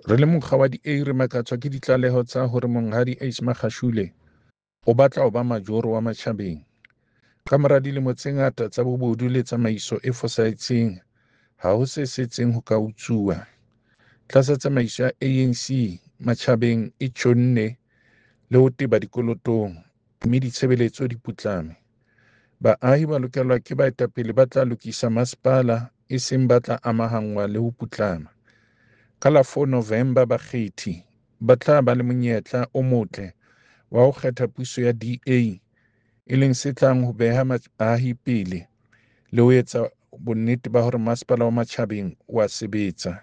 Re le mokga wa DA re makatswa ke ditlaleho tsa hore Monghadi Ace Magashule o batla ho ba majoro wa Matjhabeng. Kamora dilemo tse ngata tsa bobodu le tsamaiso e fosahetseng, ha ho se setseng ho ka utsuwa. Tlasa tsamaiso ya ANC, Matjhabeng e tjhonne le ho teba dikolotong, mme ditshebeletso di putlame. Baahi ba lokelwa ke baetapele ba tla lokisa masepala e seng ba tla amahanngwa le ho putlama. Ka la 4 November bakgethi ba tla ba le monyetla o motle wa ho kgetha puso ya DA, e leng se tlang ho beha baahi pele le ho etsa bonnete ba hore Masepala wa Matjhabeng o a sebetsa.